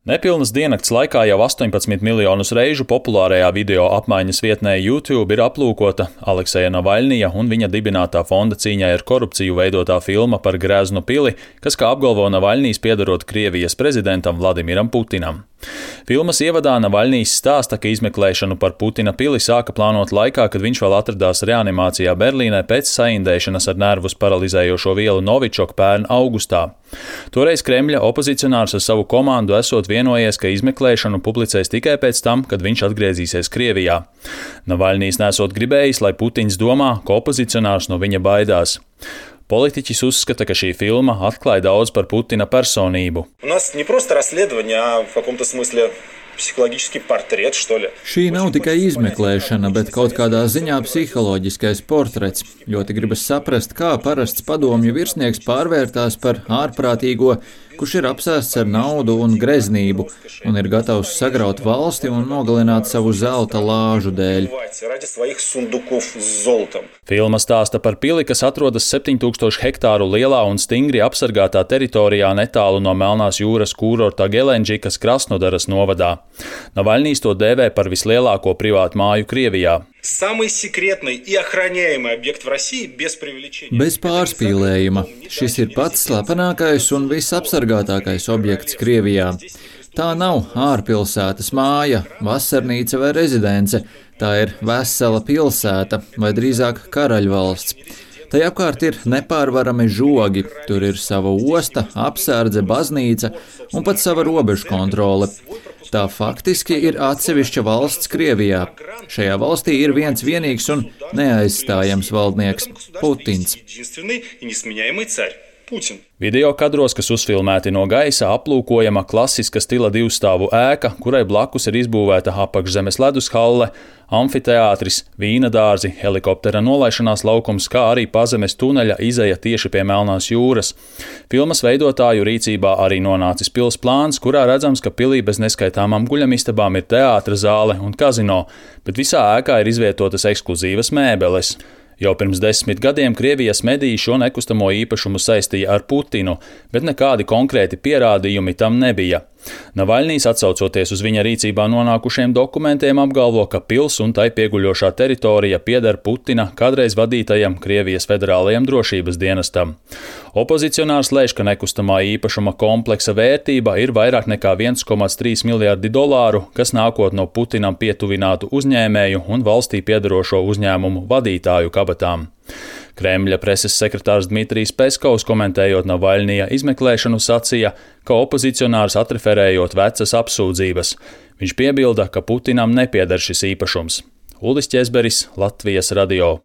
Nepilnas diennakts laikā jau 18 miljonus reižu populārajā video apmaiņas vietnē YouTube ir aplūkota Alekseja Navaļnija un viņa dibinātā fonda cīņai ar korupciju veidotā filma par Greznu pili, kas, kā apgalvo Navaļnijs, piederot Krievijas prezidentam Vladimiram Putinam. Filmas ievadā Navaļnijs stāsta, ka izmeklēšanu par Putina pili sāka plānot laikā, kad viņš vēl atradās reanimācijā Berlīnē pēc saindēšanas ar nervus paralizējošo vielu Novičoku pērn augustā. Toreiz Kremļa opozicionārs ar savu komandu esot vienojies, ka izmeklēšanu publicēs tikai pēc tam, kad viņš atgriezīsies Krievijā. Navaļnijs nesot gribējis, lai Putins domā, ka opozicionārs no viņa baidās. Politiķis uzskata, ka šī filma atklāja daudz par Putina personību. Šī nav tikai izmeklēšana, bet kaut kādā ziņā psiholoģiskais portrets. Ļoti gribas saprast, kā parasts padomju virsnieks pārvērtās par ārprātīgo, kurš ir apsēsts ar naudu un greznību un ir gatavs sagraut valsti un nogalināt savu zelta lāžu dēļ. Filma stāsta par pili, kas atrodas 7000 hektāru lielā un stingri apsargātā teritorijā netālu no Melnās jūras kūrorta Gelenģikas Krasnodaras novadā. Navaļnijs to dēvē par vislielāko privātu māju Krievijā. Bez pārspīlējuma. Šis ir pats slepenākais un visapsargātākais objekts Krievijā. Tā nav ārpilsētas māja, vasarnīca vai rezidence. Tā ir vesela pilsēta, vai drīzāk karaļvalsts. Tai apkārt ir nepārvarami žogi. Tur ir sava osta, apsardze, baznīca un pat sava robežu kontrole. Tā faktiski ir atsevišķa valsts Krievijā. Šajā valstī ir viens vienīgs un neaizstājams valdnieks – Putins. Video kadros, kas uzfilmēti no gaisa, aplūkojama klasiska stila divstāvu ēka, kurai blakus ir izbūvēta apakšzemes ledushalle, amfiteātris, vīna dārzi, helikoptera nolaišanās laukums, kā arī pazemes tuneļa izeja tieši pie Melnās jūras. Filmas veidotāju rīcībā arī nonācis pils plāns, kurā redzams, ka pilī bez neskaitāmām guļamistabām ir teātra zāle un kazino, bet visā ēkā ir izvietotas ekskluzīvas mēbeles. Jau pirms 10 gadiem Krievijas mediji šo nekustamo īpašumu saistīja ar Putinu, bet nekādi konkrēti pierādījumi tam nebija. Navaļnijs, atsaucoties uz viņa rīcībā nonākušiem dokumentiem, apgalvo, ka pils un tai pieguļošā teritorija pieder Putina kādreiz vadītajam Krievijas federālajam drošības dienestam. Opozicionārs lēš, ka nekustamā īpašuma kompleksa vērtība ir vairāk nekā 1,3 miljardi dolāru, kas nākot no Putinam pietuvinātu uzņēmēju un valstī piederošo uzņēmumu vadītāju kabatām. Kremļa preses sekretārs Dmitrijs Peskovs, komentējot Navaļnija izmeklēšanu, sacīja, ka opozicionārs atreferējot vecas apsūdzības. Viņš piebilda, ka Putinam nepieder šis īpašums. Uldis Ķezberis, Latvijas radio.